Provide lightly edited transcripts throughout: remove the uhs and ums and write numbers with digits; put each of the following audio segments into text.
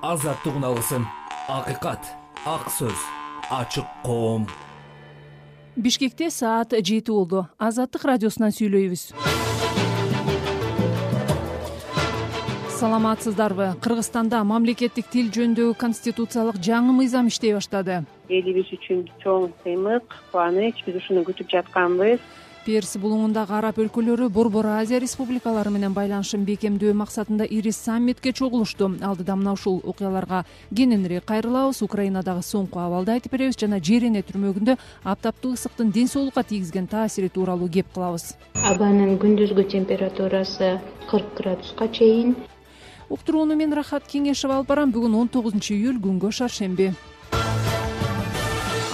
азаттык үналысын, акыйкат, ак сөз, ачык коом. Бишкекте саат 7 болду. Азаттык радиосунан сүйлөйбүз. Саламатсыздарбы? Кыргызстанда мамлекеттик тил жөнүндөгү конституциялык жаңы мыйзам иштей баштады. Элибиз үчүн чоң сыймык, кубаныч, биз ушуну күтүп жатканбыз. Перс булуңундагы араб өлкөлөрү Борбор Азия республикалары менен байланышын бекемдөө максатында ири саммитке чогулушту. Алдыда мына ушул окуяларга кененирээк кайрылабыз. Украинадагы соңку абалды айтып беребиз жана жер эне түрмөгүндө аптаптык ысыктын ден соолукка тийгизген таасири тууралуу кеп кылабыз. Абанын күндүзгү температурасы 40 градуска чейин. Уктурууну мен Рахат Кеңешев алып барам. Бүгүн 19-июль, күнгө шаршемби.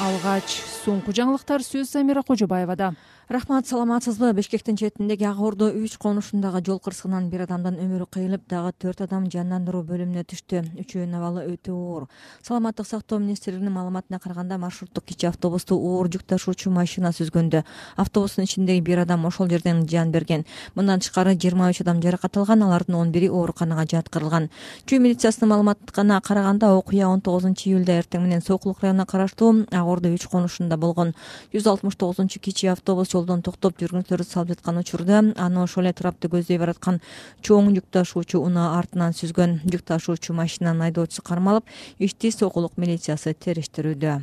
Алгач соңку жаңылыктар сөз Замира Кожобаевада. Рахмат, саламатсызбы? Бишкектин четиндеги Ак Ордо 3 конушундагы жол кырсыгынан бир адамдын өмүрү кыйылып, дагы 4 адам жандандыруу бөлүмүнө түштү. Үчөөнүн абалы өтө оор. Саламаттык сактоо министрлигинин маалыматына караганда, маршруттук кичи автобусту оор жүк ташуучу машина сүзгөндө. Автобустун ичиндеги бир адам ошол жерден жан берген. Мындан тышкары 23 адам жаракат алган, алардын 11-и ооруканага жаткырылган. Чүй милициясынын маалыматына караганда, окуя 19-июлда эртең менен Сокулук районуна караштуу Ак Ордо 3 конушунда болгон. 169-кичи автобус жолдон токтоп жүргүнчүлөрдү салып жаткан учурда аны ошол эле трапты көздөй бараткан чоң жүк ташуучу унаа артынан сүзгөн. Жүк ташуучу машинанын айдоочусу кармалып, ишти Сокулук милициясы териштирүүдө.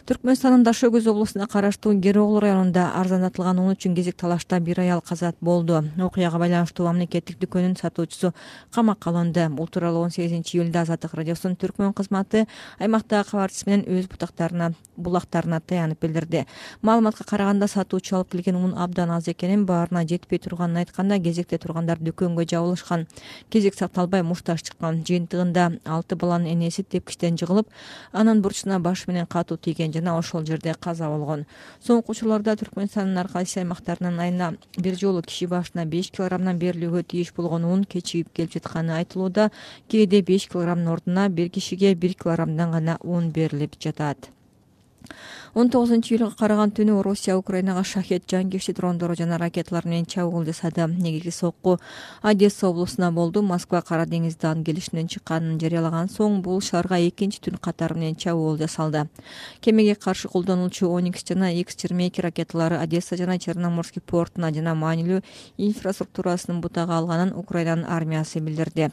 Түркмөнстандын Дашөкөз облусуна караштуу Кероглу районунда арзандатылган ун үчүн кезек талашта бир аял каза болду. Окуяга байланыштуу мамлекеттик дүкөнүн сатуучусу камакка алынды. Бул тууралуу 18-июлда Азаттык радиосунун Түркмөн кызматы аймактагы кабарчысы менен өз булактарына таянып билдирди. Маалыматка караганда, сатуучу алып келген ун абдан аз экенин, баарына жетпей турганын айтканда, кезекте тургандар дүкөнгө жабылышкан. Кезек сакталбай мушташ чыккан. Жыйынтыгында 6 баланын энеси тепкичтен жыгылып, анын бурчуна баш менен катуу тийген жана ошол жерде каза болгон. Соңку учурларда Түркмөнстандын ар кайсы аймактарынан айына бир жолу киши башына 5 килограммдан берилүүгө тийиш болгон ун кечигип келип жатканы айтылууда. Кээде 5 килограммдын ордуна бир кишиге 1 килограммдан гана ун берилип жатат. 19-июлга караган түнү Орусия Украинага шахет жангешти дрондору жана ракеталар менен чабуул жасады. Негизги сокку Одесса облусуна болду. Москва Кара деңиздин келишинен чыкканын жарыялаган соң бул шаарга экинчи түн катары менен чабуул жасалды. Кемеге каршы колдонулчу Оникс жана X-22 ракеталары Одесса жана Черноморский портуна жана маанилүү инфраструктурасынын бутага алганын Украинанын армиясы билдирди.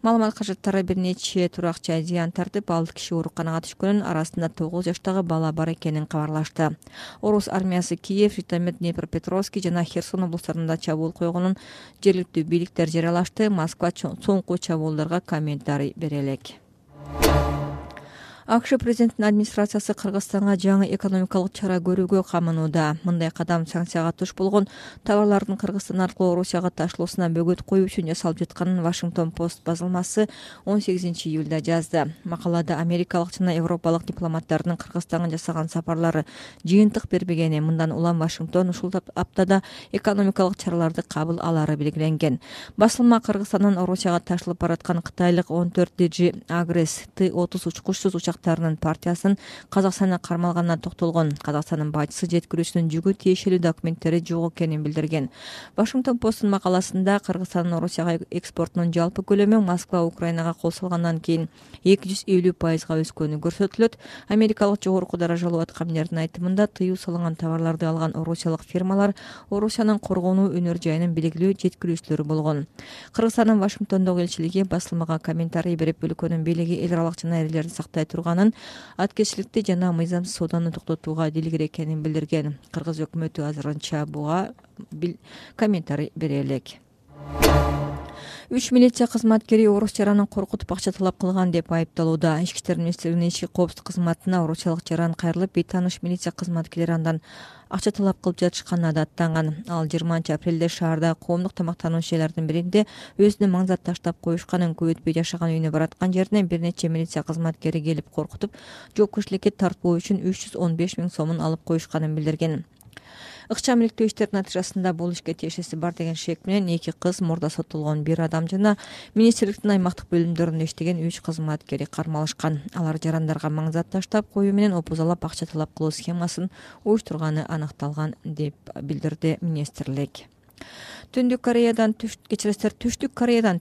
Маалымат кажеттары бир нече туракча зыян тартып, 6 киши ооруканага түшкөнүн, арасында 9 жаштагы бала бар экенин кабарлашты. Орус армиясы Киев, Житомир, Днепропетровский жана Херсон облустарында чабуул койгонун жергиликтүү бийликтер жарыялашты. Москва соңку чабуулдарга комментарий бере элек. АКШ президентинин администрациясы Кыргызстанга жаңы экономикалык чара көрүүгө камынууда. Мындай кадам санкцияга туш болгон товарлардын Кыргызстан аркылуу Орусияга ташылуусуна бөгөт коюу үчүн жасалып жатканын Вашингтон Пост базылмасы 18-июлда жазды. Макалада америкалык жана европалык дипломаттардын Кыргызстанга жасаган сапарлары жыйынтык бербегени, мындан улам Вашингтон ушул аптада экономикалык чараларды кабыл алары белгиленген. Басылма Кыргызстандан Орусияга ташылып бараткан кытайлык 14 Агрес Т-30 учкучсуз учактарынын партиясын Казакстанда кармалганына токтолгон. Казакстандын башчысы жеткирүүчүнүн жүгү тиешелүү документтери жок экенин билдирген. Вашингтон Посттун макаласында Кыргызстандын Орусияга экспортунун жалпы көлөмү Москва Украинага кол салгандан кийин 250% өскөнү көрсөтүлөт. Америкалык жогорку даражалуу аткаминердин айтымында, тыюу салынган товарларды алган орусиялык фирмалар Орусиянын коргонуу өнөр жайынын белгилүү жеткирүүчүлөрү болгон. Кыргызстандын Вашингтондогу элчилиги басылмага комментарий берип, өлкөнүн бийлиги эл аралык жана эрелерди сактай турганын, аткечиликти жана мыйзамсыз сооданы токтотууга дилгир экенин билдирген. Кыргыз өкмөтү азырынча буга комментарий бере элек. 3 милиция кызматкери орус жаранын коркутуп акча талап кылган деп айыпталууда. Ички иштер министрлигинин ички коопсуздук кызматына орусиялык жаран кайрылып, бейтааныш милиция кызматкерлери андан акча талап кылып жатышканы да аттанган. Ал 20-апрелде шаарда коомдук тамактануу ишчилердин биринде өзүнүн маңзат таштап коюшканын көп өтпөй жашаган үйүнө бараткан жерине бир нече милиция кызматкери келип коркутуп, жоопкерчиликке тартпоо үчүн 315 000 сомун алып коюшканын билдирген. Ыкчам иликтөө иштеринин натыйжасында бул ишке тиешеси бар деген шек менен 2 кыз, мурда соттолгон 1 адам жана министрликтин аймактык бөлүмдөрүндө иштеген 3 кызматкери кармалышкан. Алар жарандарга маңзат таштап коюу менен опузалап акча талап кылуу схемасын уюштурганы аныкталган деп билдирди министрлик. Түштүк Кореядан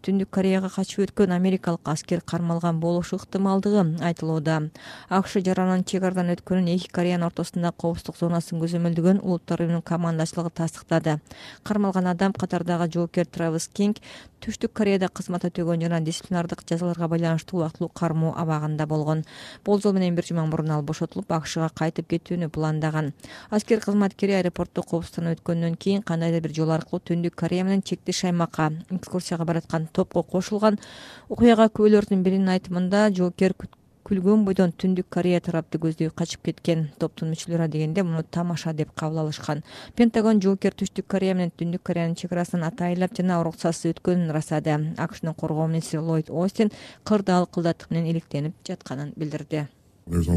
Түндүк Кореяга качып өткөн америкалык аскер кармалган болушу ыктымалдыгы айтылууда. АКШ жаранын чек арадан өткөнүн эки Кореянын ортосунда коопсуздук зонасын көзөмөлдөгөн Улуттар уюмунун командачылыгы тастыктады. Кармалган адам катардагы жоокер Травис Кинг Түштүк Кореяда кызмат өтөгөн жана дисциплинардык жазаларга байланыштуу убактылуу кармоо абагында болгон. Болжол менен бир жума мурун ал бошотулуп, АКШга кайтып кетүүнү пландаган. Аскер кызматкери аэропортто коопсуздан өткөндөн кийин кандайдыр бир жол аркылуу Түндүк Корея менен чектеш аймакка экскурсияга бараткан топко кошулган. Окуяга күбөлөрдүн биринин айтымында жоокер күлгөн бойдон Түндүк Корея тарапты көздөй качып кеткен. Топтун мүчөлөрү адегенде муну тамаша деп кабыл алышкан. Пентагон жоокер Түштүк Корея менен Түндүк Кореянын чек арасынан атайылап жана уруксатсыз өткөнүн ырастады. АКШнын коргоо министри Ллойд Остин кырды ал кылдаттык менен иликтенип жатканын билдирди. Биз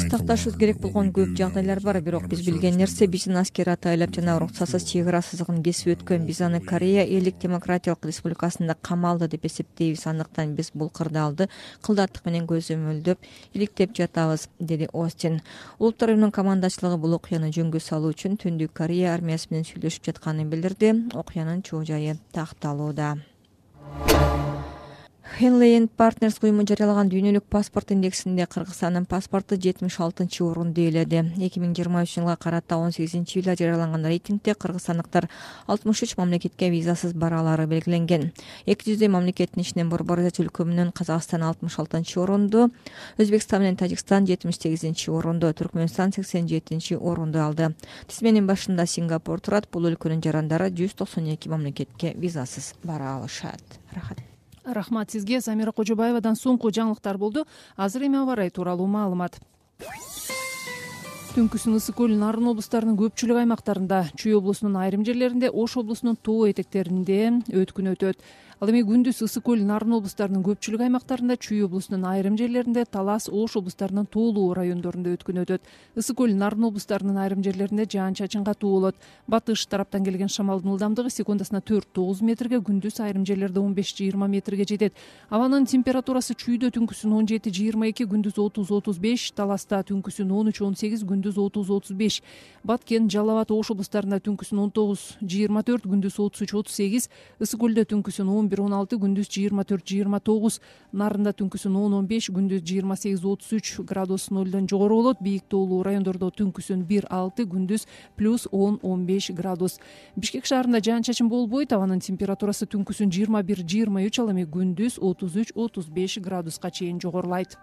такташыбыз керек болгон көп жагдайлар бар, бирок биз билген нерсе биздин аскер атайлап жана уруксатсыз чек ара сызыгын кесип өткөн. Биз аны Корея Элдик Демократиялык Республикасында камалды деп эсептейбиз. Андыктан биз бул кырдаалды кылдаттык менен көзөмөлдөп иликтеп жатабыз, деди Остин. Улуттар уюмунун командачылыгы бул окуяны жөнгө салуу үчүн Түндүк Корея армиясы менен сүйлөшүп жатканын билдирди. Окуянын чоо жайы такталууда. Henley & Partners уюму жарыялаган дүйнөлүк паспорт индексинде Кыргызстандын паспорту 76-орунду ээледи. 2023 жылга карата 18-июлда жарыяланган рейтингде кыргызстандыктар 63 мамлекетке визасыз бараалары белгиленген. 200 мамлекеттин ичинен Борбор Азия өлкөмүнөн Казакстан 66-орунду, Өзбекстан менен Тажикстан 78-орунду, Түркмөнстан 87-орунду алды. Тизменин башында Сингапур турат. Бул өлкөнүн жарандары 192 мамлекетке визасыз бара алышат. Рахмат сизге. Замира Кожобаевадан соңку жаңылыктар болду. Азыр эми аба ырайы тууралуу маалымат. Түнкүсүн Ысык көл, Нарын облустарынын көпчүлүк аймактарында, Чүй облусунун айрым жерлеринде, Ош облусунун тоо этектеринде өткүн өтөт. Ал эми күндүз Ысык көл, Нарын облустарынын көпчүлүк аймактарында, Чүй облусунун айрым жерлеринде, Талас, Ош облустарынын тоолуу райондорунда өткүн өтөт. Ысык көл, Нарын облустарынын айрым жерлеринде жаан-чачын катуу болот. Батыш тараптан келген шамалдын ылдамдыгы секундасына 4-9 метрге, күндүз айрым жерлерде 15-20 метрге жетет. Абанын температурасы Чүйдө түнкүсүн 17-22, күндүз 30-35, Таласта түнкүсүн 13-18, күндүз 30-35. Баткен, Жалал абад, Ош облустарында түнкүсүн 19-24, күндүз 33-38, Ысык көлдө түнкүсүн 11-16, күндүз 24-29, Нарында түнкүсүн 10-15, күндүз 28-33 градус нөлдөн жогору болот. Бийик тоолуу райондордо түнкүсүн 1-6, күндүз плюс 10-15 градус. Бишкек шаарында жаан-чачын болбойт. Абанын температурасы түнкүсүн 21-23, ал эми күндүз 33-35 градуска чейин жогорулайт.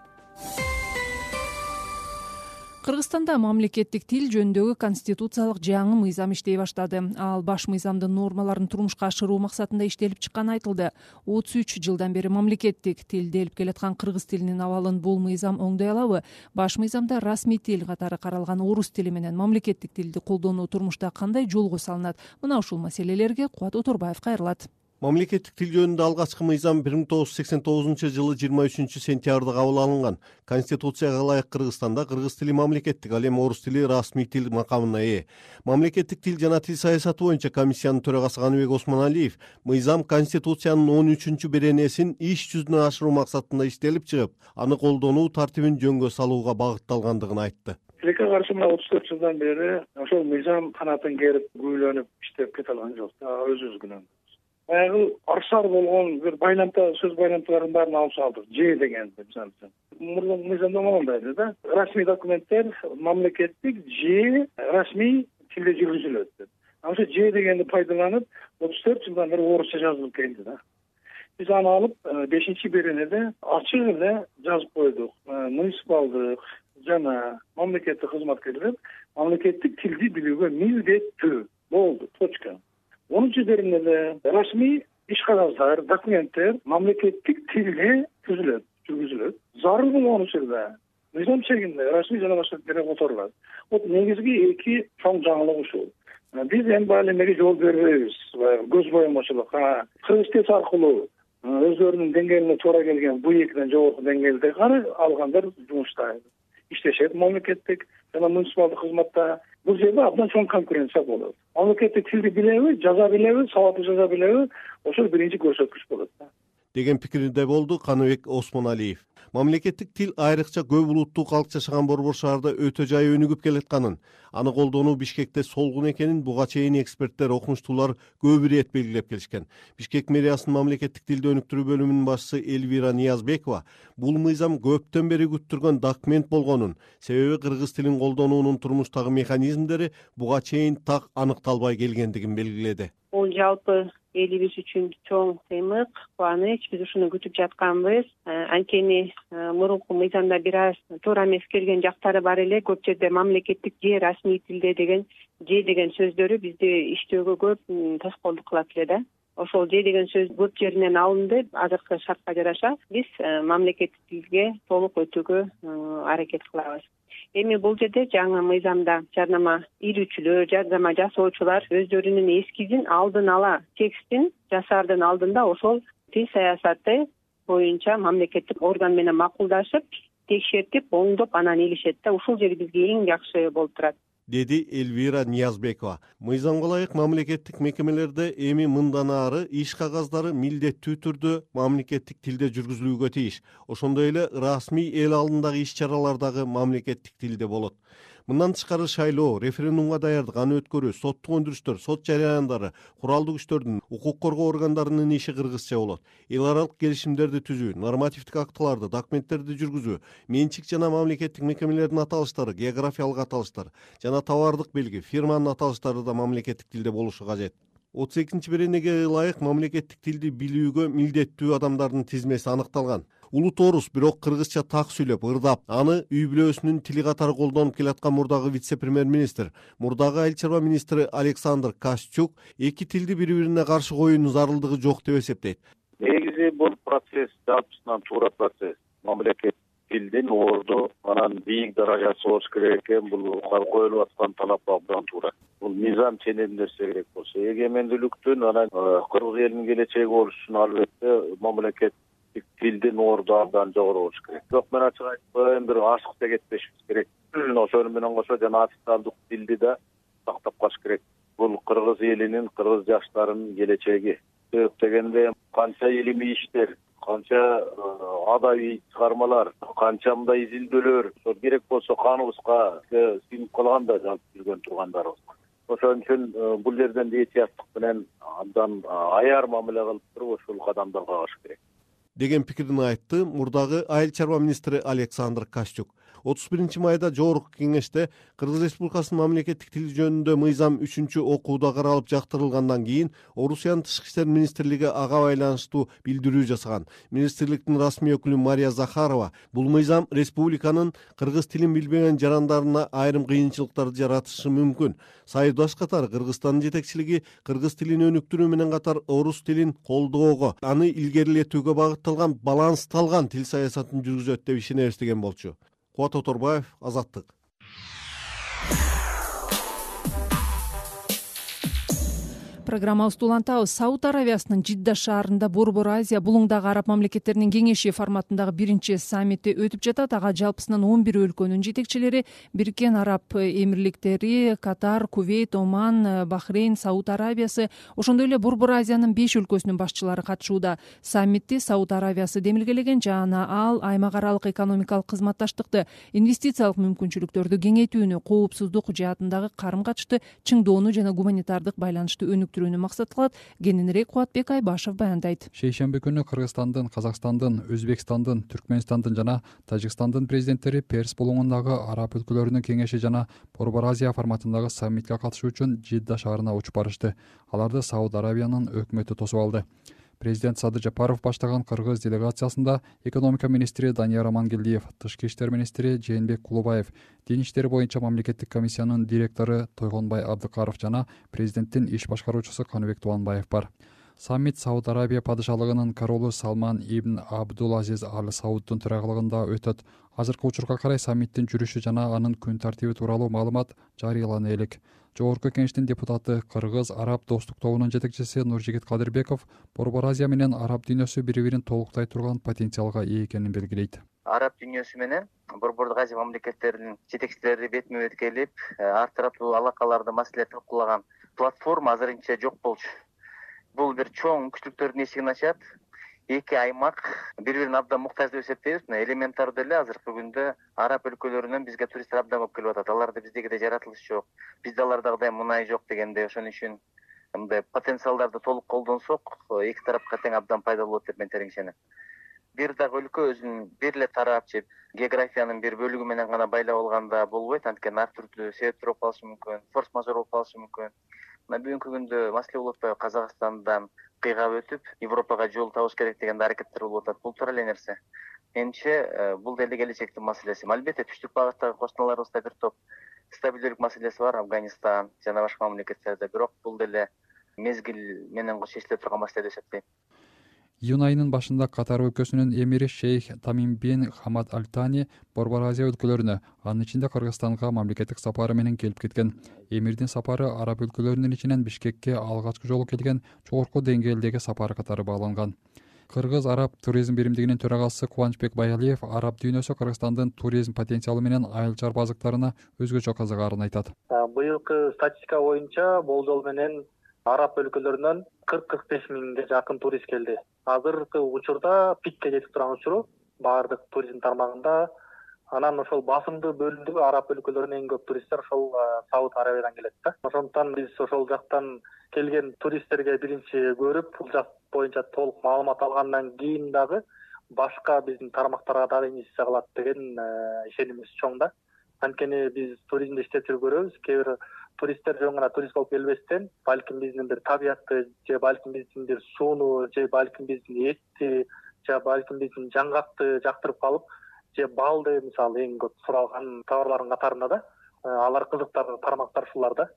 Кыргызстанда мамлекеттик тил жөнүндөгү конституциялык жаңы мыйзам иштей баштады. Ал баш мыйзамдын нормаларын турмушка ашыруу максатында иштелип чыкканы айтылды. 33 жылдан бери мамлекеттик тилде элип келаткан кыргыз тилинин абалын бул мыйзам оңдой алабы? Баш мыйзамда расмий тил катары каралган орус тили менен мамлекеттик тилди колдонуу турмушта кандай жолго салынат? Мына ушул маселелерге Кубат Оторбаев кайрылат. Мамлекеттик тил жөнүндө алгачкы мыйзам 1989 жылы 23 сентябрда кабыл алынган. Конституцияга ылайык Кыргызстанда кыргыз тили мамлекеттик, ал эми орус тили расмий тил макамына ээ. Мамлекеттик тил жана тил саясаты боюнча комиссиянын төрагасы Каныбек Осмоналиев мыйзам Конституциянын 13-беренесин иш жүзүнө ашыруу максатында иштелип чыгып, аны колдонуу тартибин жөнгө салууга багытталгандыгын айтты. Тилекке каршы 34 жылдан бери ошол мыйзам канатын керип, күбөлөнүп иштеп кете алган жок. Өзүбүз күнөө. Баягы арсар болгон бир байламта, сөз байламталарын баарын алып салдык. Ж деген мисалы үчүн. Мурдун мыйзамда моундай да. Расмий документтер мамлекеттик Ж расмий тилде жүргүзүлөт деп. Ошо Ж дегенди пайдаланып 34 жылдан бери орусча жазылып келди да. Биз аны алып 5-беренеде ачык эле жазып койдук. Муниципалдык жана мамлекеттик кызматкерлер мамлекеттик тилди билүүгө милдеттүү болду. Точка. 10-беренеде расмий иш кагаздар, документтер мамлекеттик тилде жүргүзүлөт. Зарыл болгон учурда мыйзам чегинде расмий жана башка тилдер которулат. Негизги эки чоң жаңылык ушул. Биз эми баары эмеге жол бербейбиз. Көз боемочулук. Кыргыз тил аркылуу өздөрүнүн деңгээлине туура келген бу экиден жогорку деңгээлде алгандар жумушта иштешет. Мамлекеттик жана муниципалдык кызматта бул жерде абдан чоң конкуренция болот. Мамлекеттик тилди билеби, жаза билеби, сабаттуу жаза билеби, ошол биринчи көрсөткүч болот. деген пикирде болду Каныбек Осмоналиев. Мамлекеттик тил айрыкча көп улуттуу калк жашаган Борбор шаарда өтө жай өнүгүп келатканын, аны колдонуу Бишкекте солгун экенин буга чейин эксперттер, окумуштуулар көп ирет белгилеп келишкен. Бишкек мэриясынын мамлекеттик тилди өнүктүрүү бөлүмүнүн башчысы Элвира Ниязбекова бул мыйзам көптөн бери күттүргөн документ болгонун, себеби кыргыз тилин колдонуунун турмуштагы механизмдери буга чейин так аныкталбай келгендигин белгиледи. Бул жалпы элибиз үчүн чоң сыймык, кубаныч. Биз ушуну күтүп жатканбыз. Анткени мурунку мыйзамда бир аз туура эмес келген жактары бар эле. Көп жерде мамлекеттик же расмий тилде деген же деген сөздөрү бизди иштөөгө көп тоскоолдук кылат эле да. Ошол же деген сөз көп жеринен алынды. Азыркы шартка жараша биз мамлекеттик тилге толук өтүүгө аракет кылабыз. Эми бул жерде жаңы мыйзамда жарнама илүүчүлөр, жарнама жасоочулар өздөрүнүн эскизин алдын ала текстин жасаардын алдында ошол тил саясаты боюнча мамлекеттик орган менен макулдашып, текшертип, оңдоп анан илишет да. Ушул жери бизге эң жакшы болуп турат, деди Элвира Ниязбекова. Мыйзамга ылайык мамлекеттик мекемелерде эми мындан ары иш кагаздары милдеттүү түрдө мамлекеттик тилде жүргүзүлүүгө тийиш. Ошондой эле расмий эл алдындагы иш-чаралар дагы мамлекеттик тилде болот. Мындан тышкары шайлоо, референдумга даярдык, аны өткөрүү, соттук өндүрүштөр, сот жарыяндары, куралдуу күчтөрдүн, укук коргоо органдарынын иши кыргызча болот. Эл аралык келишимдерди түзүү, нормативдик актыларды, документтерди жүргүзүү, менчик жана мамлекеттик мекемелердин аталыштары, географиялык аталыштар жана товардык белги, фирманын аталыштары да мамлекеттик тилде болушу кажет. 32-чи беренеге ылайык мамлекеттик тилди билүүгө милдеттүү адамдардын тизмеси аныкталган. Улут орус, бирок кыргызча так сүйлөп, ырдап, аны үй бүлөсүнүн тили катары колдонуп келаткан мурдагы вице-премьер-министр, мурдагы айыл чарба министри Александр Кашчук эки тилди бири-бирине каршы коюунун зарылдыгы жок деп эсептейт. Негизи бул процесс жалпысынан туура процесс. Мамлекет тилдин орду анан бийик даражасы болуш керек экен. Бул коюлуп аткан талап абдан туура. Бул мыйзам ченем нерсе керек болсо, эгемендүүлүктүн анан кыргыз элинин келечеги болуш үчүн албетте мамлекет тилдин орду абдан жогору болуш керек. Бирок мен ачык айтпайм, бир ашыкта кетпешибиз керек. Ошону менен кошо жана официалдык тилди да сактап калыш керек. Бул кыргыз элинин, кыргыз жаштарынын келечеги. Себеп дегенде канча илимий иштер, канча адабий чыгармалар, канча мындай изилдөөлөр, ошо керек болсо каныбызга сиңип калган да жазып жүргөн тургандарыбыз. Ошон үчүн бул жерден этияттык менен абдан аяр мамиле кылып туруп ушул кадамдарга барыш керек деген пикирин айтты мурдагы айыл чарба министри Александр Кашчук. 31 майда жогорку кеңеште Кыргыз Республикасынын мамлекеттик тил жөнүндө мыйзам 3-окууда каралып жактырылгандан кийин Орусиянын тышкы иштер министрлиги ага байланыштуу билдирүү жасаган. Министрликтин расмий өкүлү Мария Захарова бул мыйзам республиканын кыргыз тилин билбеген жарандарына айрым кыйынчылыктарды жаратышы мүмкүн. Союздаш катары Кыргызстандын жетекчилиги кыргыз тилин өнүктүрүү менен катар орус тилин колдоого, аны илгерилетүүгө багытталган балансталган тил саясатын жүргүзөт деп ишенебиз деген болчу. Кубат Оторбаев, Азаттык. Программабызды улантабыз. Сауд Аравиясынын Жидда шаарында Борбор Азия булуңдагы араб мамлекеттеринин кеңеши форматындагы биринчи саммити өтүп жатат. Ага жалпысынан 11 өлкөнүн жетекчилери, Бириккен Араб Эмирликтери, Катар, Кувейт, Оман, Бахрейн, Сауд Аравиясы, ошондой эле Борбор Азиянын 5 өлкөсүнүн башчылары катышууда. Саммитти Сауд Аравиясы демилгелеген жана ал аймак аралык экономикалык кызматташтыкты, инвестициялык мүмкүнчүлүктөрдү кеңейтүүнү, коопсуздук жаатындагы карым-качышты чыңдоону жана гуманитардык байланышты өнүктүрүүнү максат кылат. Кененирээк Кубатбек Айбашев баяндайт. Шейшемби күнү Кыргызстандын, Казакстандын, Өзбекстандын, Түркмөнстандын жана Тажикстандын президенттери Перс булуңундагы араб өлкөлөрүнүн кеңеши жана Борбор Азия форматындагы саммитке катышуу үчүн Жидда шаарына учуп барышты. Аларды Сауд Аравиянын өкмөтү тосуп алды. Президент Садыр Жапаров баштаган кыргыз делегациясында экономика министри Данияр Амангелдиев, тышкы иштер министри Жээнбек Кулубаев, дин иштери боюнча мамлекеттик комиссиянын директору Тойгонбай Абдыкаров жана президенттин иш башкаруучусу Каныбек Тубанбаев бар. Саммит Сауд Арабия падышалыгынын королу Салман ибн Абдул-Азиз Аль Сауддун төрагылыгында өтөт. Азыркы учурга карай саммиттин жүрүшү жана анын күн тартиби тууралуу маалымат жарыялана элек. Жогорку кеңештин депутаты, Кыргыз-Араб достук тобунун жетекчиси Нуржигит Кадырбеков Борбор Азия менен араб дүйнөсү бири-бирин толуктай турган потенциалга ээ экенин белгилейт. Араб дүйнөсү менен Борбордук Азия мамлекеттеринин жетекчилери бетме-бет келип, ар тараптуу алакаларды маселе талкуулаган платформа азырынча жок болчу. Бул бир чоң мүмкүнчүлүктөрдүн эшигин ачат. эки аймак бири бирин абдан муктаж деп эсептейбиз. Элементардуу эле азыркы күндө араб өлкөлөрүнөн бизге туристтер абдан көп келип атат. Аларда биздегидей жаратылыш жок, бизде алардагыдай мунай жок дегенде, ошон үчүн мындай потенциалдарды толук колдонсок, эки тарапка тең абдан пайдалуу болот деп мен терең ишенем. Бир дагы өлкө өзүн бир эле тарап же географиянын бир бөлүгү менен гана байлап алганда болбойт. Анткени ар түрдүү себептер болуп калышы мүмкүн, форс-мажор болуп калышы мүмкүн. Мына бүгүнкү күндө маселе болуп атпайбы, Казакстандан кыйгап өтүп Европага жол табыш керек деген аракеттер болуп атат. Бул туура эле нерсе. Менимче бул деле келечектин маселеси. Албетте түштүк багыттагы кошуналарыбызда бир топ стабилдүүлүк маселеси бар, Афганистан жана башка мамлекеттерде, бирок бул деле мезгил менен чечиле турган маселе деп эсептейм. Июнь айынын башында Катар өлкөсүнүн эмири шейх Тамим бин Хамад Аль Тани Борбор Азия өлкөлөрүнө, анын ичинде Кыргызстанга мамлекеттик сапары менен келип кеткен. Эмирдин сапары араб өлкөлөрүнүн ичинен Бишкекке алгачкы жолу келген жогорку деңгээлдеги сапары катары бааланган. Кыргыз-араб туризм биримдигинин төрагасы Кубанычбек Баялиев араб дүйнөсү Кыргызстандын туризм потенциалы менен айыл-чар базыктарына өзгөчө кызыгаарын айтат. Быйылкы статистика боюнча болжол менен араб өлкөлөрүнөн 40-45 миңге жакын турист келди. Азыркы учурда пикке жетип турган учуру баардык туризм тармагында. Анан ошол басымдуу бөлүмдөгү араб өлкөлөрүнөн эң көп туристтер ошол Сауд Арабиядан келет да. Ошондуктан биз ошол жактан келген туристтерге биринчи көрүп, бул жак боюнча толук маалымат алгандан кийин дагы башка биздин тармактарга дагы инвестиция кылат деген ишенимибиз чоң да. Анткени биз туризмди иштеп жүрүп көрөбүз. Кээ бир туристтер жөн гана турист болуп келбестен, балким биздин бир табиятты, же балким биздин бир сууну, же балким биздин этти, же балким биздин жаңгакты жактырып калып, же балды мисалы эң көп суралган товарлардын катарында да. Алар кызыктар тармактар ушулар да.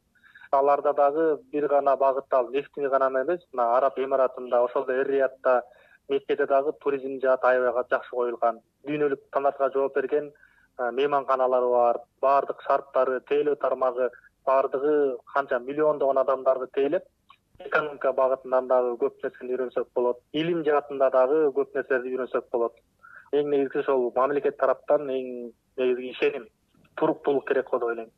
Аларда дагы бир гана багыттал нефтини гана эмес, мына Араб Эмиратында, ошол эле Эр-Риядта, Меккеде дагы туризм жааты аябай жакшы коюлган. Дүйнөлүк стандартка жооп берген мейманканалары бар, баардык шарттары, тейлөө тармагы, баардыгы канча миллиондогон адамдарды тейлеп, экономика багытынан дагы көп нерсени үйрөнсөк болот. Илим жаатында дагы көп нерселерди үйрөнсөк болот. Эң негизгisi ошол мамлекет тараптан эң негизги ишеним, туруктуулук керек го деп ойлойм.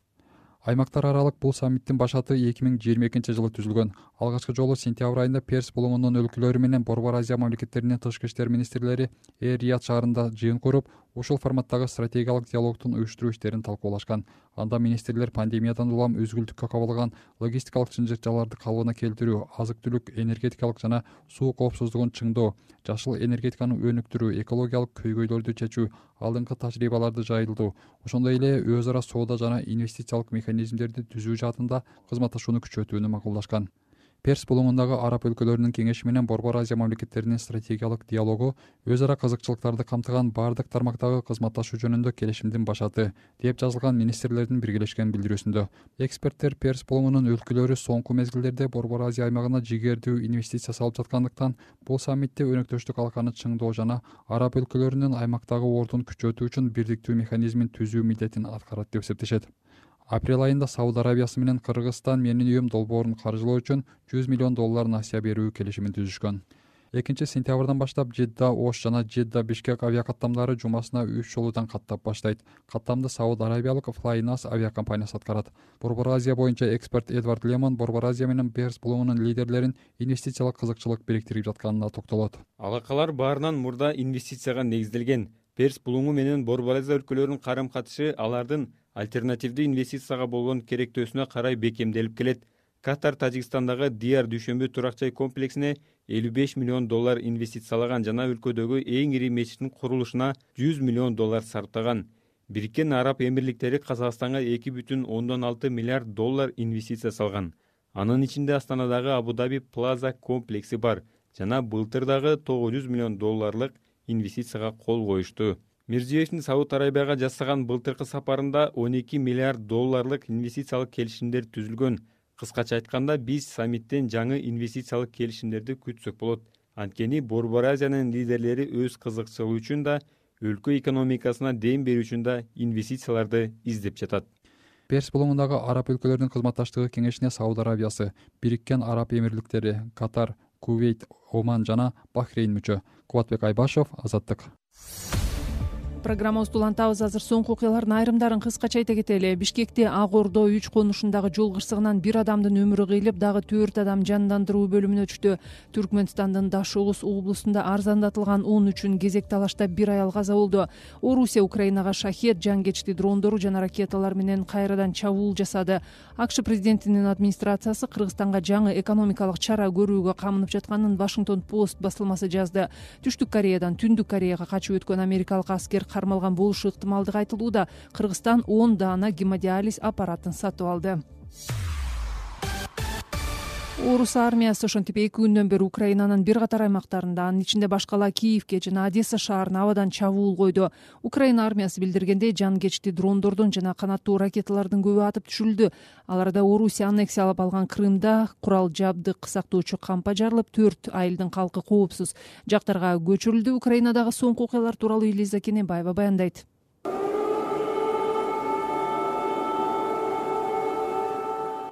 Аймактар аралык бул саммиттин башаты 2022 жылы түзүлгөн. Алгачкы жолу сентябрь айында Перс булуңунун өлкөлөрү менен Борбор Азия мамлекеттеринин тышкы иштер министрлери Эр-Рияд шаарында жыйын куруп, ушул форматтагы стратегиялык диалогтун уюштуруу иштерин талкуулашкан. Анда министрлер пандемиядан улам өзгүлтүккө кабылган логистикалык чынжырчаларды калыбына келтирүү, азык-түлүк, энергетикалык жана суу коопсуздугун чыңдоо, жашыл энергетиканы өнүктүрүү, экологиялык көйгөйлөрдү чечүү, алдыңкы тажрыйбаларды жайылтуу, ошондой эле өз ара соода жана инвестициялык механизмдерди түзүү жаатында кызматташууну күчөтүүнү макулдашкан. Перс булуңундагы араб өлкөлөрүнүн кеңеши менен Борбор Азия мамлекеттеринин стратегиялык диалогу өз ара кызыкчылыктарды камтыган баардык тармактагы кызматташуу жөнүндө келишимдин башаты, деп жазылган министрлердин биргелешкен билдирүүсүндө. Эксперттер Перс булуңунун өлкөлөрү соңку мезгилдерде Борбор Азия аймагына жигердүү инвестиция салып жаткандыктан, бул саммитте өнөктөштүк алканы чыңдоо жана араб өлкөлөрүнүн аймактагы ордун күчөтүү үчүн бирдиктүү механизмин түзүү милдетин аткарат деп эсептешет. Апрель айында Сауд Арабиясы менен Кыргызстан Менин үйүм долбоорун каржылоо үчүн $100 миллион насыя берүү келишимин түзүшкөн. 2-сентябрдан баштап Жидда Ош жана Жидда Бишкек авиакаттамдары жумасына 3 жолудан каттап баштайт. Каттамды Сауд Арабиялык Flynas авиакомпаниясы аткарат. Борбор Азия боюнча эксперт Эдвард Лемон Борбор Азия менен Перс булуңунун лидерлерин инвестициялык кызыкчылык бириктирип жатканына токтолот. Алакалар баарынан мурда инвестицияга негизделген. Перс булуңу менен Борбор Азия өлкөлөрүнүн карым-катышы алардын альтернативдүү инвестицияга болгон керектөөсүнө карай бекемделип келет. Катар Тажикстандагы Диар дүйшөмбү турак-жай комплексине $55 миллион инвестициялаган жана өлкөдөгү эң ири мечиттин курулушуна $100 миллион сарптаган. Бириккен Араб Эмирликтери Казакстанга $2,6 миллиард инвестиция салган. Анын ичинде Астанадагы Абу-Даби Плаза комплекси бар жана былтыр дагы $900 миллион инвестицияга кол коюшту. Мирзиёевдин Сауд Арабияга жасаган былтыркы сапарында $12 миллиард инвестициялык келишимдер түзүлгөн. Кыскача айтканда, биз саммиттен жаңы инвестициялык келишимдерди күтсөк болот. Анткени Борбор Азиянын лидерлери өз кызыкчылыгы үчүн да, өлкө экономикасына дем берүү үчүн да инвестицияларды издеп жатат. Перс булуңундагы араб өлкөлөрүнүн кызматташтыгы кеңешине Сауд Арабиясы, Бириккен Араб Эмирликтери, Катар, Кувейт, Оман жана Бахрейн мүчө. Кубатбек Айбашев, Азаттык. программабызды улантабыз. Азыр соңку окуялардын айрымдарын кыскача айта кетели. Бишкекте Ак Ордо 3 конушундагы жол кырсыгынан бир адамдын өмүрү кыйылып, дагы 4 адам жандандыруу бөлүмүнө түштү. Түркмөнстандын Дашогуз облусунда арзандатылган 10 үчүн кезек талашта бир аял каза болду. Орусия Украинага шахет, жангечти дрондору жана ракеталар менен кайрадан чабуул жасады. АКШ президентинин администрациясы Кыргызстанга жаңы экономикалык чара көрүүгө камынып жатканын Washington Post басылмасы жазды. Түштүк Кореядан Түндүк Кореяга качып өткөн америкалык аскер кармалган болушу ыктымалдыгы айтылууда. Кыргызстан 10 даана гемодиализ аппаратын сатып алды. Орус армиясы ошентип 2 күндөн бери Украинанын бир катар аймактарында, анын ичинде башкала Киевке жана Одесса шаарына абадан чабуул койду. Украина армиясы билдиргендей, жангечти дрондордун жана канаттуу ракеталардын көбү атып түшүрүлдү. Аларда Орусия аннексиялап алган Крымда курал жабдык сактоочу кампа жарылып, 4 айылдын калкы коопсуз жактарга көчүрүлдү. Украинадагы соңку окуялар тууралуу Элиза Кенебаева баяндайт.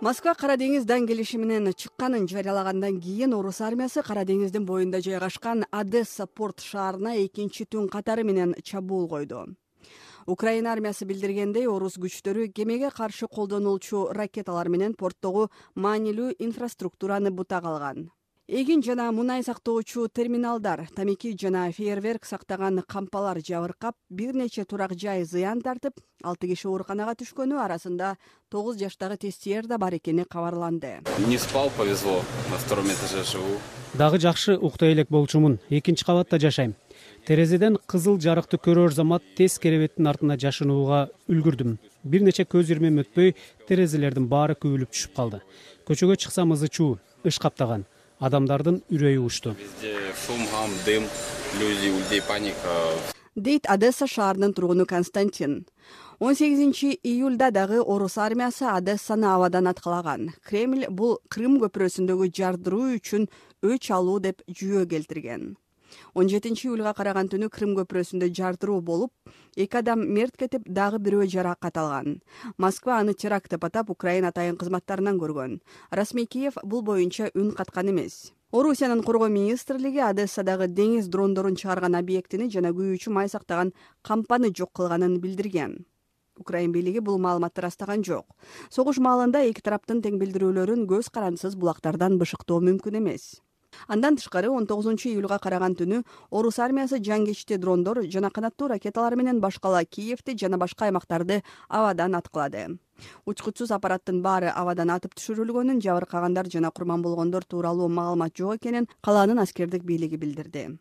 Москва Кара деңизден келиши менен чыкканын жарыялагандан кийин Орус армиясы Кара деңиздин боюнда жайгашкан Одесса порт шаарына экинчи түн катары менен чабуул койду. Украина армиясы билдиргендей, орус күчтөрү кемеге каршы колдонулчу ракеталар менен порттогу маанилүү инфраструктураны бутак алган. Эгин жана мунай сактоочу терминалдар, тамеки жана фейерверк сактаган кампалар жабыркап, бир нече турак жай зыян тартып, 6 киши ооруканага түшкөнү, арасында 9 жаштагы тестиер да бар экени кабарланды. Не спал, повезло, на втором этаже живу. Дагы жакшы ukta элек болчумун, 2-кабатта жашайм. Терезеден кызыл жарыкты көрөр замат тез керебеттин артына жашынууга үлгүрдүм. Бир нече көз ирмем өтпөй, терезелердин баары күбүлүп түшүп калды. Көчөгө чыксам ызы чуу, ыш каптаган. Адамдардын үрөйү учту. Дейт Одесса шаарынын тургуну Константин. 18 июлда дагы Орус армиясы Одессаны абадан аткалаган. Кремль бул Крым көпүрөсүндөгү жардыруу үчүн өч алуу деп жүйө келтирген. 17 июлга караган түнү Крым көпүрөсүндө жардыруу болуп, 2 адам мерт кетип, дагы бирөө жаракат алган. Москва аны теракт деп атап, Украина атайын кызматтарынан көргөн. Расмий Киев бул боюнча үн каткан эмес. Орусиянын коргоо министрлиги Одессадагы деңиз дрондорун чыгарган объектини жана күйүүчү май сактаган кампаны жок кылганын билдирген. Украин бийлиги бул маалыматты растаган жок. Согуш маалында эки тараптын тең билдирүүлөрүн көз карандысыз булактардан бышыктоо мүмкүн эмес. Андан тышкары 19 июлга караган түнү Орус армиясы жангечти дрондор жана канаттуу ракеталар менен башкала Киевти жана башка аймактарды абадан аткылады. Учкучсуз аппараттын баары абадан атып түшүрүлгөнүн, жабыркагандар жана курман болгондор тууралуу маалымат жок экенин калаанын аскердик бийлиги билдирди.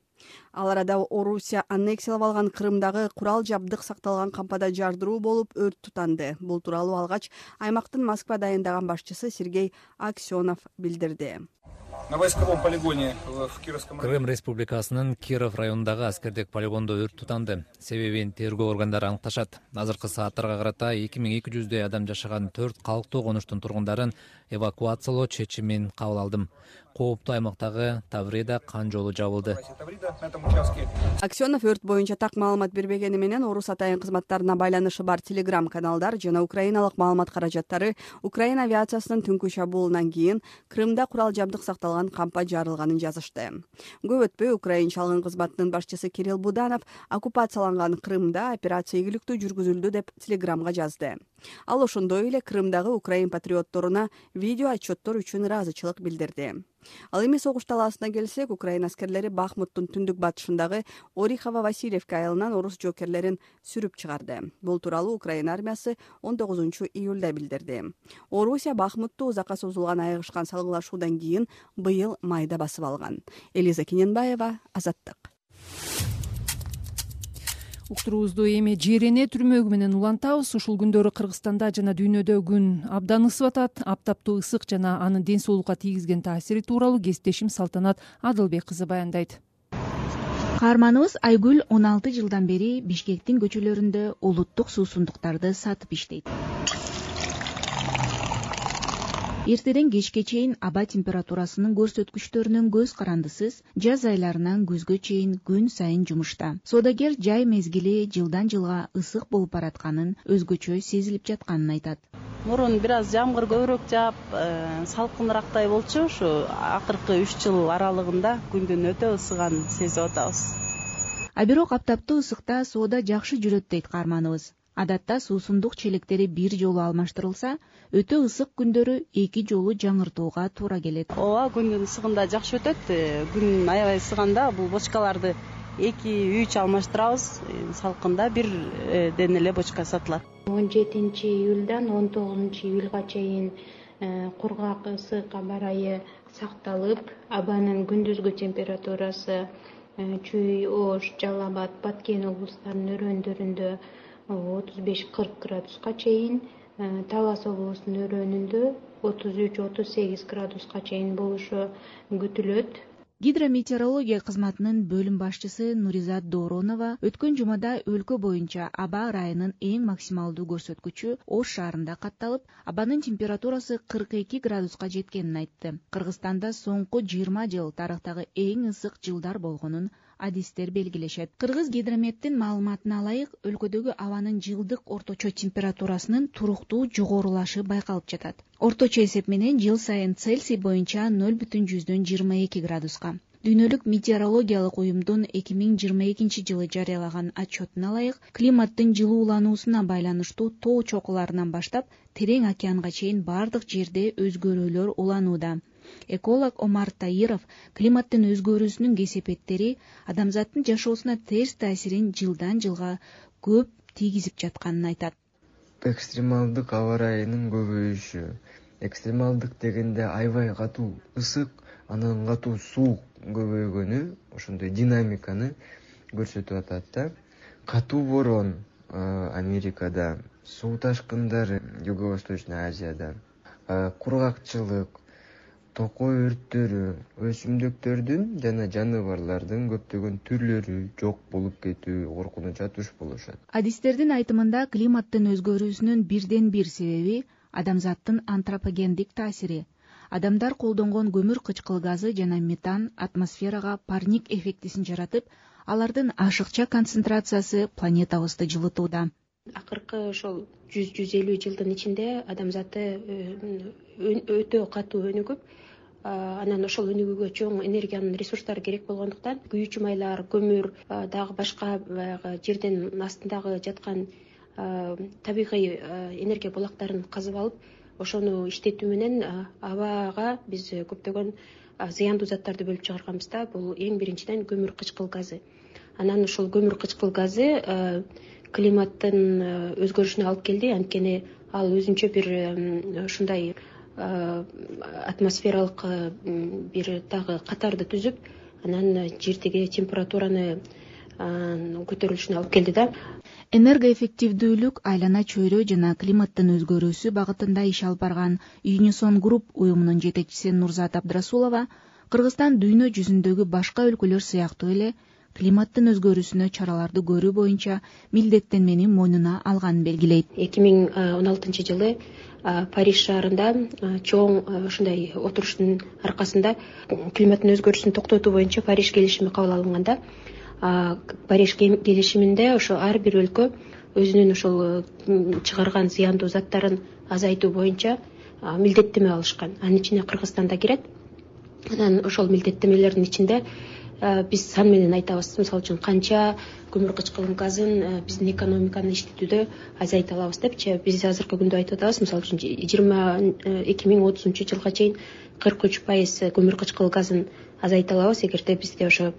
Ал арада Орусия аннексиялап алган Крымдагы курал жабдык сакталган кампада жардыруу болуп өрт тутанды. Бул тууралуу алгач аймактын Москва дайындаган башчысы Сергей Аксенов билдирди. На войсковом полигоне в Кировском районе. Крым Республикасынын Киров районундагы аскердик полигондо өрт тутанды. Себебин тергөө органдары аныкташат. Азыркы сааттарга карата 2200 адам жашаган 4 калктуу конуштун тургундарын эвакуациялоо чечимин кабыл алдым. Кооптуу аймактагы Таврида кан жолу жабылды. Аксенов өрт боюнча так маалымат бербегени менен Орус атайын кызматтарына байланышы бар телеграм каналдар жана украиналык маалымат каражаттары Украина авиациясынын түнкү чабуулунан кийин Крымда курал жабдык сакталган кампа жарылганын жазышты. Көп өтпөй украинчалык кызматтын башчысы Кирилл Буданов оккупацияланган Крымда операция ийгиликтүү жүргүзүлдү деп телеграмга жазды. Ал ошондой эле Крымдагы украин патриотторуна видео отчеттор үчүн ыраазычылык билдирди. Ал эми согуш талаасына келсек, Украина аскерлери Бахмуттун түндүк батышындагы Орихово-Васильевка айылынан орус жокерлерин сүрүп чыгарды. Бул тууралуу Украина армиясы 19 июлда билдирди. Орусия Бахмутту узакка созулган айыгышкан салгылашуудан кийин быйыл майда басып алган. Элиза Кенебаева, Азаттык. Уктуруубузду эми жерене түрмөгү менен улантабыз. Ушул күндөрү Кыргызстанда жана дүйнөдө күн абдан ысып атат. Аптаптуу ысык жана анын ден соолукка тийгизген таасири тууралуу кесиптешим Салтанат Адылбек кызы баяндайт. Каарманыбыз Айгүл 16 жылдан бери Бишкектин көчөлөрүндө улуттук суусундуктарды сатып иштейт. Эртеден кечке чейин аба температурасынын көрсөткүчтөрүнөн көз карандысыз, жаз айларынан күзгө чейин күн сайын жумушта. Соодагер жай мезгили жылдан жылга ысык болуп баратканын, өзгөчө сезилип жатканын айтат. Мурун бир аз жамгыр көбүрөөк жаап, салкынырактай болчу. Ушу акыркы 3 жыл аралыгында күндүн өтө ысыганын сезип атабыз. А бирок аптаптуу ысыкта соода жакшы жүрөт дейт каарманыбыз. Адатта суусундук челектери бир жолу алмаштырылса, өтө ысык күндөрү 2 жолу жаңыртууга туура келет. Ооба, күндүн ысыгында жакшы өтөт. Күн аябай ысыганда бул бочкаларды 2-3 алмаштырабыз. Салкында бирден эле бочка сатылат. 17 июльдан 19 июльга чейин кургак ысык аба ырайы сакталып, абанын күндүзгү температурасы Чүй, Ош, Жалал Абад, Баткен облустарынын өрөөндөрүндө 35-40 градуска чейин, Талас облусунун өрөөнүндө 33-38 градуска чейин болушу күтүлөт. Гидрометеорология кызматынын бөлүм башчысы Нуризат Дооронова өткөн жумада өлкө боюнча аба ырайынын эң максималдуу көрсөткүчү Ош шаарында катталып, абанын температурасы 42 градуска жеткенин айтты. Кыргызстанда соңку 20 жыл тарыхтагы эң ысык жылдар болгонун адистер белгилешет. Кыргыз гидрометтин маалыматына ылайык, өлкөдөгү абанын жылдык орточо температурасынын туруктуу жогорулашы байкалып жатат. Орточо эсеп менен жыл сайын Цельсий боюнча 0,22 градуска. Дүйнөлүк метеорологиялык уюмдун 2022 жылы жарыялаган отчетуна ылайык, климаттын жылуулануусуна байланыштуу тоо чокуларынан баштап терең океанга чейин бардык жерде өзгөрүүлөр уланууда. Эколог Омар Таиров климаттын өзгөрүүсүнүн кесепеттери адамзаттын жашоосуна терс таасирин жылдан жылга көп тийгизип жатканын айтат. Экстремалдык аба ырайынын көбөйүшү. Экстремалдык дегенде аябай катуу ысык, анан катуу суук көбөйгөнү, ошондой динамиканы көрсөтүп атат да. Катуу борон Америкада, суу ташкындары Юго-Восточный Азияда, кургакчылык, токой өрттөрү, өсүмдүктөрдүн жана жаныбарлардын көптөгөн түрлөрү жок болуп кетүү коркунуча туш болушат. Адистердин айтымында климаттын өзгөрүүсүнүн бирден бир себеби адамзаттын антропогендик таасири. Адамдар колдонгон көмүр кычкыл газы жана метан атмосферага парник эффектисин жаратып, алардын ашыкча концентрациясы планетабызды жылытууда. Акыркы ошол 100-150 жылдын ичинде адамзаты өтө катуу өнүгүп, анан ошол өнүгүүгө чоң энергиянын ресурстары керек болгондуктан күйүүчү майлар, көмүр, дагы башка баягы жердин астындагы жаткан табигый энергия булактарын казып алып, ошону иштетүү менен абага биз көптөгөн зыяндуу заттарды бөлүп чыгарганбыз да. Бул эң биринчиден көмүр кычкыл газы. Анан ошол көмүр кычкыл газы климаттын өзгөрүшүнө алып келди, анткени ал өзүнчө бир ушундай атмосфералык бир дагы катарды түзүп, анан жердеги температураны көтөрүлүшүнө алып келди да. Энергоэффективдүүлүк, айлана чөйрө жана климаттын өзгөрүүсү багытында иш алып барган Unison Group уюмунун жетекчиси Нурзат Абдрасулова Кыргызстан дүйнө жүзүндөгү башка өлкөлөр сыяктуу эле климаттын өзгөрүүсүнө чараларды көрүү боюнча милдеттенмени мойнуна алганын белгилейт. 2016 жылы Париж шаарында чоң ушундай отуруштун аркасында климаттын өзгөрүүсүн токтотуу боюнча Париж келишими кабыл алынганда, Париж келишиминде ошо ар бир өлкө өзүнүн ошол чыгарган зыяндуу заттарын азайтуу боюнча милдеттеме алышкан. Анын ичине Кыргызстан да кирет. Анан ошол милдеттемелердин ичинде биз сан менен айтабыз. Мисалы үчүн канча көмүр кычкыл газын биздин экономиканы иштетүүдө азайта алабыз депчи. Биз азыркы күндө айтып атабыз. Мисалы үчүн 2030 жылга чейин 43% көмүр кычкыл газын азайта алабыз, эгерде бизде ошо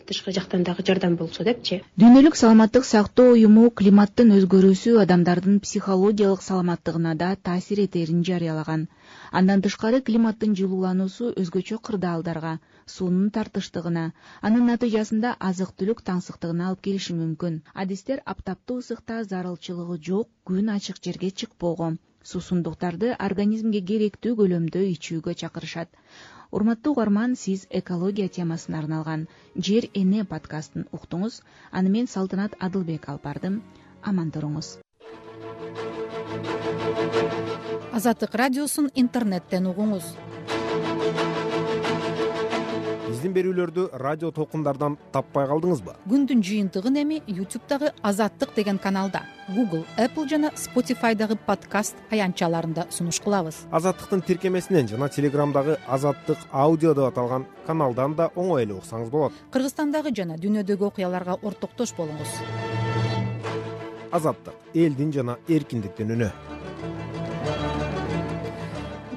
тышкы жактан дагы жардам болсо депчи. Дүйнөлүк саламаттык сактоо уюму климаттын өзгөрүүсү адамдардын психологиялык саламаттыгына да таасир этерин жарыялаган. Андан тышкары климаттын жылуулануусу өзгөчө кырдаалдарга, суунун тартыштыгына, анын натыйжасында азык-түлүк таңсыктыгына алып келиши мүмкүн. Адистер аптаптуу ысыкта зарылчылыгы жок күн ачык жерге чыкпоого, суусундуктарды организмге керектүү көлөмдө ичүүгө чакырышат. Урматтуу угарман, сиз экология темасына арналган Жер эне подкастын уктуңуз. Аны мен Салтанат Адылбек алып бардым. Аман туруңуз. Азаттык радиосун интернеттен угуңуз. биздин берүүлөрдү радио толкундардан таппай калдыңызбы? Күндүн жыйынтыгын эми YouTube'дагы Азаттык деген каналда, Google, Apple жана Spotify'дагы подкаст аянтчаларында сунуш кылабыз. Азаттыктын тиркемесинен жана Телеграмдагы Азаттык аудио деп аталган каналдан да оңой эле уксаңыз болот. Кыргызстандагы жана дүйнөдөгү окуяларга ортоктош болуңуз. Азаттык — элдин жана эркиндиктин үнү.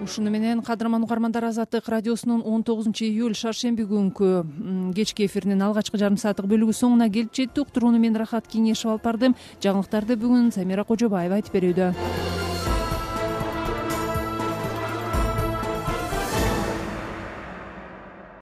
Ушуну менен кадырман угармандар, Азаттык радиосунун 19-июль шаршемби күнкү кечки эфиринин алгачкы жарым сааттык бөлүгү соңуна келип жетти. Уктурууну мен Рахат Кеңешев алып бардым. Жаңылыктарды бүгүн Самира Кожобаева айтып берүүдө.